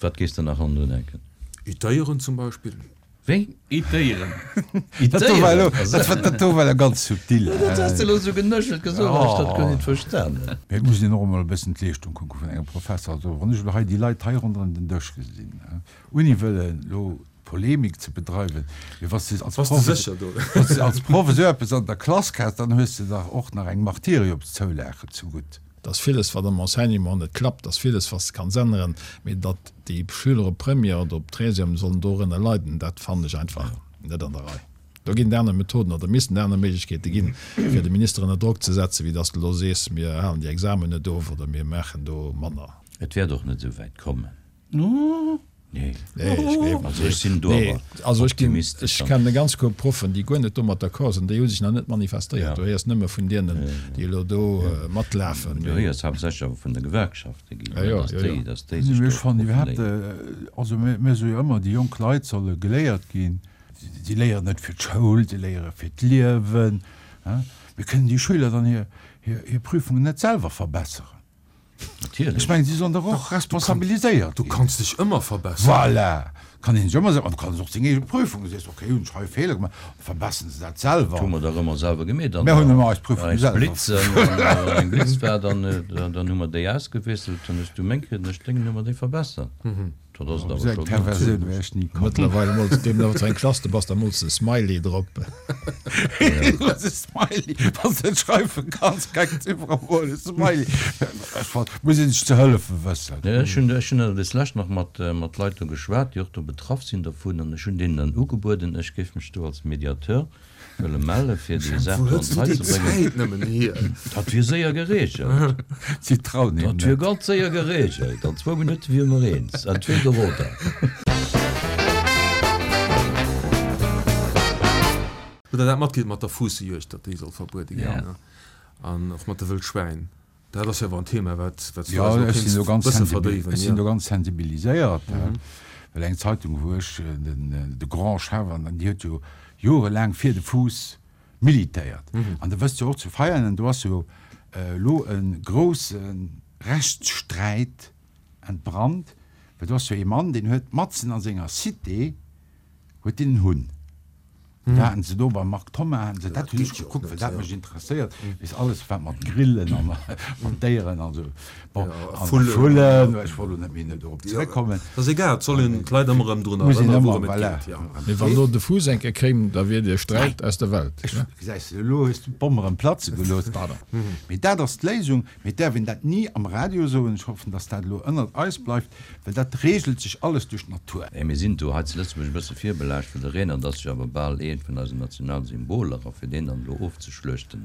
Speaker 2: Wat géifs de nach hannendrun hänken?
Speaker 1: Itéieren zum Beispill.
Speaker 2: Wéi?
Speaker 3: Itéieren.
Speaker 5: Dat do war elo, dat do war elo ganz subtil.
Speaker 2: Dat has de elo esou genëschelt gesot, dat ech dat guer nit verstanen hunn.
Speaker 5: Mee et muss een och emol e bëssen d'Leeschtung kucke vun engem Professer. Also wann ech elo hei déi Leit hei ronderëm den Dësch gesinn, ouni wëllen elo. Polemik ze bedreiwen, mee wann s de als Proff, wann s de als Proff esou eppes an der Klass häss, dann hues de dach och nach eng Martyriumszoulage zegutt.
Speaker 4: Et ass villes, wat am Enseignement net klappt, et ass villes, wat s de kanns änneren, mee datt déi Schüler op Première oder op Treizième sollen dorënner leiden, dat fannen ech einfach net an der Rei. Do ginn et aner Methoden oder missten et aner Méiglechkeete ginn, fir de Minister ënner Drock ze setzen, wéi datt s de elo sees, mir halen déi Examen net of oder mir maachen do manner.
Speaker 2: Et wäert och net esou wäit kommen.
Speaker 4: Nee, ech gleewen
Speaker 2: Also ech sinn do awer
Speaker 4: Also ech ginn,
Speaker 2: optimistesch.
Speaker 4: ech kennen e ganz Koup Proffen, déi guer net domat d'accord sinn, déi hu sech nach net manifestéiert. Du héiers nëmme vun deenen, déi elo do matlafen.
Speaker 2: Du héiers haaptsächlech awer vun de Gewerkschafte ginn,
Speaker 4: Ja, ja,
Speaker 2: dass
Speaker 4: ja,
Speaker 2: déi,
Speaker 4: ja.
Speaker 2: dass déi sech
Speaker 5: Ech
Speaker 2: do
Speaker 5: fannen iwwerhaapt,
Speaker 2: profilieren.
Speaker 5: also mir soe jo ëmmer, déi jonk Leit solle geléiert ginn. Si léieren net fir d'Schoul, si léiere fir d'Liewen. Mir kënnen déi Schüler dann hir Prüfungen net selwer verbesseren.
Speaker 2: Natierlech.
Speaker 5: Ech mengen, si sollen dach och responsabiliséiert
Speaker 1: ginn. Du kanns dech ëmmer verbesseren.
Speaker 5: Voilà! Kann een sech ëmmer selwer, an du kanns och deng eege Prüfung, du sees, okay, hunn ech hei e Feeler gemaach, da verbesseren se dat selwer.
Speaker 2: Dat hu mer dach ëmmer selwer gemeet.
Speaker 5: Mir hunn ëmmer eis Prüfunge selwer.
Speaker 2: Blitzen, wann eng Blitz war, dann hu mer déi ausgewiesselt, dann hues du meng kritt an ech deng, dann hu mer déi verbessert. Dat ass et awer
Speaker 5: scho. Perversioun wär ech ni
Speaker 4: komm. Mëttlerweil mools deem nach eng Klass, du bass da mools e Smiley drop.
Speaker 5: E Smiley, wann s de net schreiwe kanns, keng Ziffer mol e Smiley. Ech fannen, muss een sech ze hëllefe wëssen.
Speaker 2: Jo, ech hunn, ech hunn des lescht nach mat, mat Leit do geschwat, déi och do betraff sinn dervun, an ech hunn deenen dann ugebueden, ech géif mech do als Mediateur wëlle melle fir déi Saach do an d'Rei ze bréngen. Dat wier séier geregelt.
Speaker 5: Si trauen him
Speaker 2: Dat wier ganz séier geregelt. An zwou Minutte wiere mer eens. Entweder oder.
Speaker 1: Hutt Der dat matkritt mat der Fuussejuegd, datt déi soll verbuede ginn? An och mat de Wëllschwäin? Dat ass jo awer en Thema, wat wat
Speaker 5: du eis elo kéints bësse verdéiwen. Ech sinn do ganz sensibiliséiert, well eng Zeitung, wou ech den de Grand Chef an déi huet jo jorelaang fir de Fuuss militéiert. An Der wësst jo och zu Veianen, do ass jo elo e grousse Rechtssträit entbrannt, well do ass jo ee Mann, deen huet matzen a senger Cité huet deen en Hunn. Da haten se do beim Marc Thoma, haten se, dat hunn ech gekuckt, well dat mech interesséiert, weess alles wat mat Grillen a mat Déieren an esou, bon, an Vullen, ech wollt elo net méi dorop zeréckkommen.
Speaker 1: Dat ass egal, et soll een d'Leit ëmmer erëm drun
Speaker 5: Muss een
Speaker 1: erënneren,
Speaker 5: ëmmer,
Speaker 1: wourëm et
Speaker 5: voilà.
Speaker 1: geet, jo.
Speaker 4: Mee wann elo de Fuuss eng Kéier kéim, da wier de Sträit aus der Welt.
Speaker 5: Ech, gesäis de, elo hues du d'Bomm erëm platze gelooss.
Speaker 4: Pardon.
Speaker 5: Mee dat ass d'Léisung. Mee et däerf een dat ni am Radio soen, ech hoffen, datt dat elo ënnert eis bleift, well dat reegelt sech alles duerch d'Natur.
Speaker 2: Mee mir sinn do hei zu Lëtzebuerg e bësse virbelaascht, well de Renert ass jo awer bal eent vun eisen Nationalsymboler, a fir deen dann elo ofzeschluechten,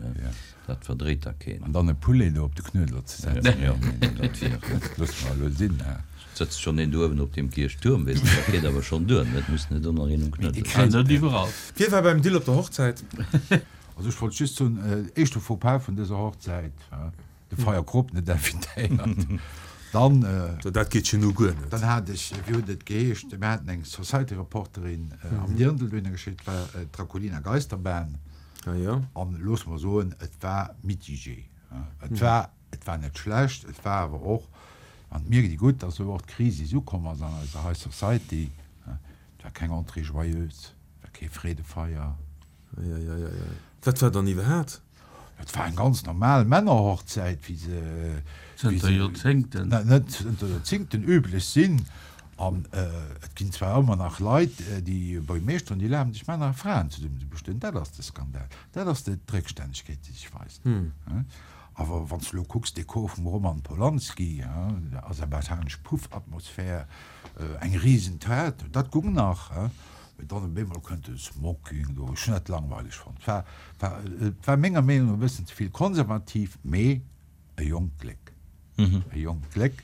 Speaker 2: dat verdréit da keen.
Speaker 5: An dann e Poulet do op de Knuedler ze setzen,
Speaker 2: Jo, dat wier.
Speaker 5: Loosse mer elo sinn.
Speaker 2: Et sëtzt schonn een do uewen op deem Kierchtuerm, weess de, dat geet awer schonn duer, et muss net och nach een um Knuedler
Speaker 3: sëtzen. Net iwwerall.
Speaker 1: Wie war beim Dill op der Hochzäit?
Speaker 5: Also ech wollt just soen, éischte Faux-pas vun dëser Hochzäit, de Feierkrop net invitéiert. Dann.
Speaker 1: Dat geet jo nu guer net.
Speaker 5: Dann hat ech, wéi huet et geheescht, mir haten eng Society-Reporterin am Dirndl dohinner geschéckt, dat war d'Draculina Geisterbahn.
Speaker 1: Ah jo.
Speaker 5: An loosse mer soen, et war mitigé. Et war, et war net schlecht, et war awer och, an et mierkt ee gutt, datt elo och d'Krisis ukomm ass an eiser High Society, et war keng Entrée joyeuse, et war kee Freedefeier.
Speaker 1: Eieieiei. Wat war dann iwwerhaat?
Speaker 5: Et war eng ganz normal Männerhochzäit, wéi se
Speaker 3: Zënter Joerzéngten.
Speaker 5: Net zënter Joerzéngten üblech sinn. An et ginn zwar ëmmer nach Leit, déi Buergermeeschteren, déi erlaben sech Männer a Fraen zesummen ze bestueden. Dat ass de Skandal. Dat ass d'Réckstännegkeet, déi sech weist. Awer wann s de elo kucks, Dekor vum Roman Polanski, aserbaidschanesch Puff-Atmosphär, eng Risen-Toilette, dat gung nach. Mee dann op eemol kënnt de Smoking do. Ech hunn dat langweileg fonnt. War, war, et war menger Meenung no e bëssen ze vill konservativ, mee e jonkt Gléck. E jonkt Gléck.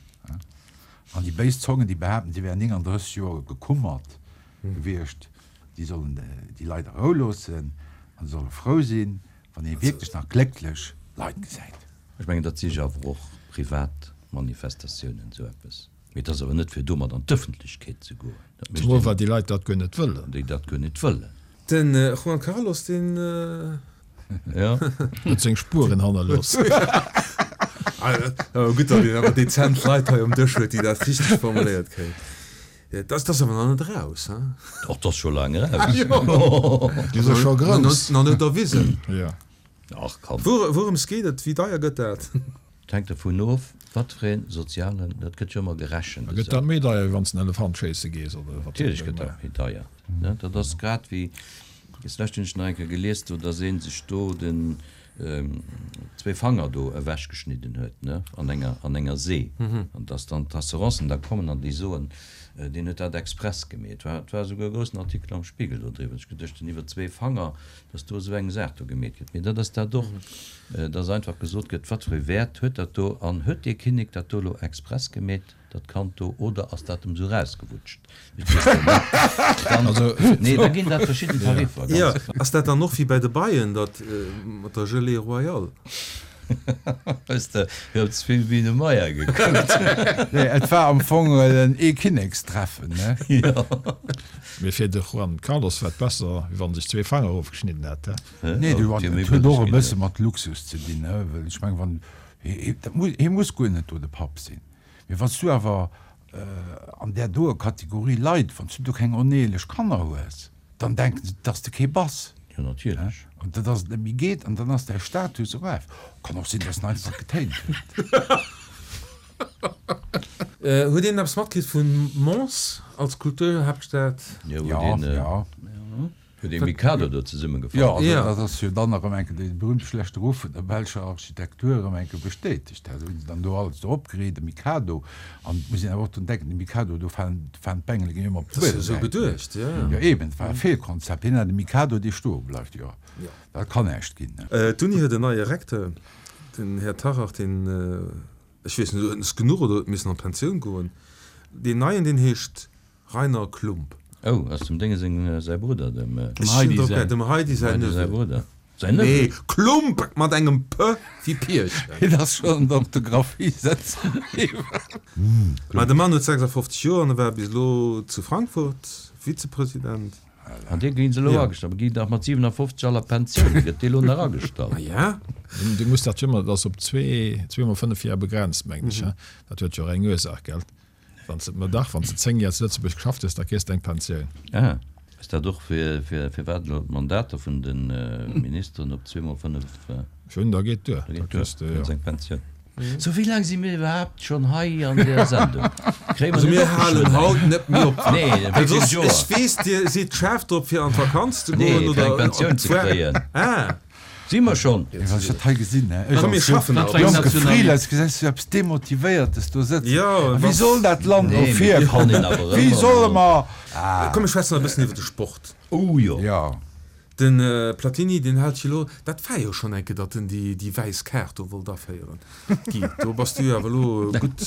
Speaker 5: An déi béis Zongen, déi behaapten, si wären 39 Joer gekummert gewiescht, déi sollen déi Leit a Rou loossen an se solle frou sinn, wann ee wierklech nach glécklech Leit gesäit.
Speaker 2: Ech mengen, dat si jo awer och privat Manifestatiounen, esou eppes. Mee et ass awer net fir domat an d'Ëffentlechkeet ze goen.
Speaker 4: Dat mécht Zemol well déi Leit dat guer net wëllen.
Speaker 2: Déi dat guer net wëllen.
Speaker 1: Den Juan Carlos, deen.
Speaker 2: Jo.
Speaker 4: Huet seng Spueren hannerlooss.
Speaker 1: Gutt, datt een awer dezent Leit hei um Dësch huet, déi dat richteg formuléiert kréien. Dat ass awer nach net eraus, he?
Speaker 2: Och, 't ass scho laang eraus.
Speaker 4: Déi si scho grouss.
Speaker 1: Nach net erwisen.
Speaker 4: Jo.
Speaker 2: Ach, komm.
Speaker 1: Wourëms geet et? Wéi deier gëtt dat?
Speaker 2: Et hänkt dervun of. Wat fir een sozialen, dat gëtt jo ëmmer gerechent
Speaker 4: Da gëtt
Speaker 2: esou.
Speaker 4: dat méi deier, wéi wann s de en Elefant schéisse gees, oder wat
Speaker 2: Natierlech gëtt dat méi deier. Dat ass grad wéi, deslescht hunn ech nach eng Kéier gelies do, datt ee sech do den zwéi Fanger do ewechgeschnidden huet, ne, an enger, an enger See. An datt dann d'Assurancen da kommen an déi soen, deen huet dat express gemeet. Et war, et war esouguer e groussen Artikel am Spiegel do driwwer. Ech geduecht hunn, iwwer zwee Fanger, datt do esou eng Saach do gemeet gëtt. Mee dat ass dat och, datt einfach gesot gëtt, wat fir e Wäert huet dat do an huet dee Kinnek dat do elo express gemeet? Dat Kand do, oder ass dat em sou rausgewutscht? Ech weess dat net. Dann,
Speaker 4: Also,
Speaker 2: nee, da ginn dat verschidden Tariffer,
Speaker 1: Jo,
Speaker 2: ganz
Speaker 1: ass dat dann och wéi bei de Beien, dat mat der Gelée royale?
Speaker 2: Hues de jo ze vill Biene Meier gekuckt?
Speaker 5: Nee, et war am Fong en Eekkinnekstreffen, ne?
Speaker 2: Jo.
Speaker 4: Mee fir de Juan Carlos war et besser, wéi wann en sech zwee Fanger ofgeschnidden hätt, he?
Speaker 5: Nee, du, et huet och e bësse mat Luxus ze dinn, ne? Well ech mengen, wann, hie, dat muss, hie muss guer net do de Papp sinn. Mee wann s du awer an där doe Kategorie Leit, wann s du do keng oneeleg Kanner hues, dann denken se, dass de kee bass.
Speaker 2: Jo, natierlech.
Speaker 5: An dat ass et net méi geet an dann ass däi Status eraf. Kann och sinn, dass en einfach getéint huet.
Speaker 1: Huet een eppes matkritt vu Mons als Kulturhaaptstad?
Speaker 2: Jo, huet een.
Speaker 5: Jo.
Speaker 2: Huet ee Mikado do zesummegefall.
Speaker 5: Jo, also dat ass jo dann erëm eng Kéier dee berühmte schlechte Ruff vun der belscher Architektur erëm eng Kéier bestätegt. Dat hu se dann do alles do opgeriicht, de Mikado. An et muss een awer och drun denken, de Mikado, do falen falen d'Bengele ginn ëmmer op
Speaker 1: Dat ass jo esou geduecht, jo.
Speaker 5: Jo eben, et war e Feelkonzept. Hien hat e Mikado, dee stoe bleift, jo, dat kann näischt ginn.
Speaker 1: D'Uni huet en neie Recteur, den Här Tachach, deen, ech weess net, huet en es genuch oder huet missen an d'Pensioun goen. Deen neien, deen heescht Rainer Klump.
Speaker 2: Oh, ass dem Dénge seng säi Brudder, dem
Speaker 1: Heidi säin, dem Heidi säin
Speaker 2: Neveu. Brudder. Säin Neveu?
Speaker 1: Nee, Klump mat engem P wéi Pierchen.
Speaker 5: Hien ass schonn an der Orthographie sëtze bliwwen.
Speaker 1: Mä de Mann huet 56 Joer an e war bis elo zu Frankfurt Vizepresident.
Speaker 2: An dee ginn se elo agestallt. Mä ginn dach mat 57 all a Pensioun. Gëtt dee elo nach agestallt?
Speaker 1: Ma ja.
Speaker 4: Du muss dat jo ëmmer, dat ass op zwee, zweemol fënnef Joer begrenzt, mengen ech, he? Dat huet jo och eng Ursaach, gell? Wann s de, ma dach, wann s de 10 Joer zu Lëtzebuerg geschafft hues, da kriss de eng Pensioun.
Speaker 2: Ah, ass dat och fir, fir, firwat elo d'Mandater vun de Ministeren op zweemol 5?
Speaker 4: Schön, da geet duer.
Speaker 2: Da
Speaker 4: Da
Speaker 2: geet duer,
Speaker 4: kriss de,
Speaker 2: kriss
Speaker 4: jo.
Speaker 2: eng Pensioun. Sou, wéi laang si mir iwwerhaapt schonn hei an där Sendung? Kréie mer
Speaker 1: Also
Speaker 2: net
Speaker 1: mir
Speaker 2: och
Speaker 1: halen
Speaker 2: geschwënn eng?
Speaker 1: haut net méi op.
Speaker 2: Nee,
Speaker 1: Well
Speaker 2: wéi vill
Speaker 1: soss,
Speaker 2: Joer?
Speaker 1: ech weess, Dir sidd schaarf drop fir an d'Vakanz ze
Speaker 2: Nee,
Speaker 1: goen
Speaker 2: fir
Speaker 1: oder
Speaker 2: eng
Speaker 1: op
Speaker 2: Pensioun ze
Speaker 1: d'Foire.
Speaker 2: kréien.
Speaker 1: Ah.
Speaker 2: Si mer schonn?
Speaker 5: Mee wann ech dat hei gesinn, hä, ech
Speaker 1: Komm, mir
Speaker 5: als jonk,
Speaker 1: schaffen
Speaker 3: Wat
Speaker 1: nach.
Speaker 3: fir eng
Speaker 5: jonke
Speaker 3: Nationalitéit?
Speaker 5: Freelance, gesäis du eppes Demotivéiertes do sëtzen.
Speaker 1: Jo,
Speaker 5: A wéi
Speaker 1: was.
Speaker 5: soll dat Land no
Speaker 2: Nee, mee
Speaker 5: vir
Speaker 2: et kann
Speaker 5: kommen?
Speaker 2: een awer
Speaker 5: Wéi
Speaker 2: ëmmer
Speaker 5: solle
Speaker 2: mol.
Speaker 5: mer. Ah.
Speaker 1: Komm, mir schwätzen nach e bëssen iwwer de Sport.
Speaker 2: Oh jo.
Speaker 5: Jo.
Speaker 1: De Platini, deen hält jo elo, dat war jo schonn eng Kéier, datt en déi, déi wäiss Kaart do wollt aféieren. Guy, do bass du jo awer elo gutt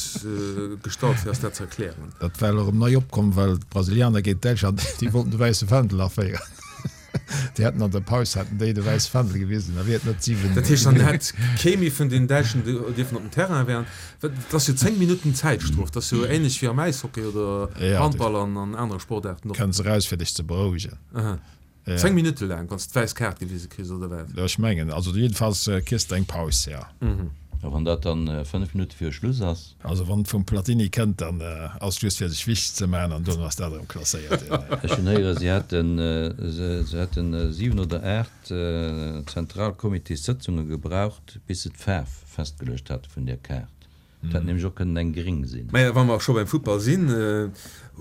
Speaker 1: gestallt, fir eis dat ze erklären.
Speaker 4: Dat war elo erëm nei opkomm, well d'Brasilianer géint Däitschland, déi wollten de wäisse Fändel aféieren. Déi hätten an der Paus hätten déi de wäisse Fändel gewisen, da wier et net 7.
Speaker 1: Dat heescht, dann hätt kee méi vun den Däitschen dierfen op den Terrain während, dat ass jo 10 Minutten Zäitstrof, dat ass jo ähnlech wéi am Äishockey oder Handball an an anere Sportaarten och.
Speaker 4: Kënns eraus fir dech ze berouegen.
Speaker 1: Aha. 10 Minutte laang, wann s de d'wäiss Kaart gewise kriss, oder wat?
Speaker 4: Ech mengen, also jiddefalls kriss de eng Paus, jo.
Speaker 2: A wann dat dann 5 Minutte viru Schluss ass?
Speaker 4: Also wann et vum Platini kënnt, dann ass et just fir sech wichteg ze maachen an dono ass dat erëm klasséiert.
Speaker 2: Ech hunn héieren, si hätten, se hätten 7 oder 8 Zentralcomitéssëtzunge gebraucht, bis se d'Faarf festgeluecht hate vun där Kaart. Et hätt nämlech och kënnen eng gréng sinn.
Speaker 1: Mä wa mer scho beim Futtball sinn,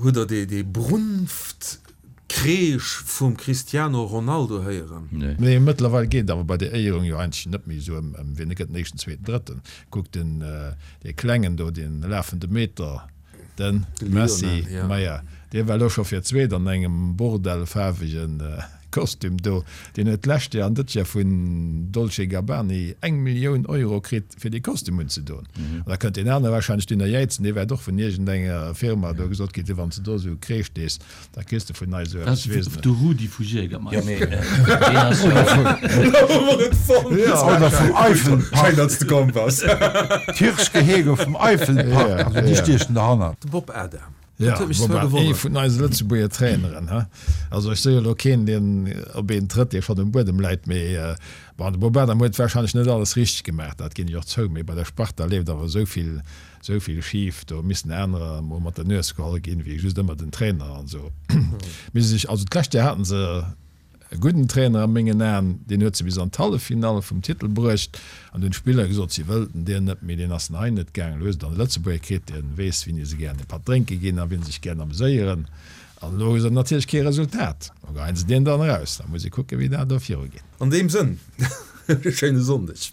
Speaker 1: hutt Der dee Brunftkreesch vum Cristiano Ronaldo héieren?
Speaker 2: Nee.
Speaker 4: Nee, mëttlerweil geet et awer bei der Éierung jo eigentlech net méi esou ëm wien gëtt den éischten, zweeten, drëtten. Kuck den dee klengen do, dee lafende Meter, de Messi, maja, dee war elo scho fir d'zweet an engem bordellfaarwegen Kostüm do, deen huet d'lescht Joer an dëtt Joer vun Dolce Gabbani eng Millioun Euro kritt fir dee Kostüm unzedoen. An da kënnt deen anere wahrscheinlech dunner jäizen, dee wäert och vun iergendenger Firma do gesot kritt hunn, wann s de do esou Kreesch dees, da kriss de vun eis esou
Speaker 3: Dat
Speaker 4: eppes,
Speaker 3: ass
Speaker 4: weess net.
Speaker 3: de Rudi vu Jägermeister.
Speaker 2: Jo, mee deen ass jo.
Speaker 5: Oder vum Eifelpark.
Speaker 1: Schéin, datt s de komm bass.
Speaker 5: D'Hirschgehege vum Eifelpark, also déi stiechen derhannert.
Speaker 1: De Bob Adam.
Speaker 4: Ja,
Speaker 1: Dat huet mech zwar
Speaker 4: woubäi ee
Speaker 1: gewonnert.
Speaker 4: vun eise Lëtzebuerger Traineren, he? Also ech si jo elo keen, deen op een trëtt, dee schonn um Buedem läit, mee bon, de Bob Adam huet warscheinlech net alles richteg gemaach, dat ginn ech och zou, mee bei der Sparta leeft awer esou vill, esou vill schif, do missten anerer emol mat der Nues geholl ginn, wéi just ëmmer den Trainer an esou. Mee se sech, also d'lescht Joer haten se. E gudden Trainer a mengen Aen, deen huet se bis an d'Halleffinall vum Titel bruecht. An dunn d'Spiller gesot, si wëllten deen net méi, deen ass nei net gaangen. Elo hu se dann e Lëtzebuerger kritt, dee weess, wien se gären e Patt drénke ginn a wien sech gären ameséieren. An elo hu se natierlech kee Resultat. Lo geheien se deen dann eraus. Da muss ee kucken, wéi dat do virugeet.
Speaker 1: An deem Sënn, e schéine Sonndeg.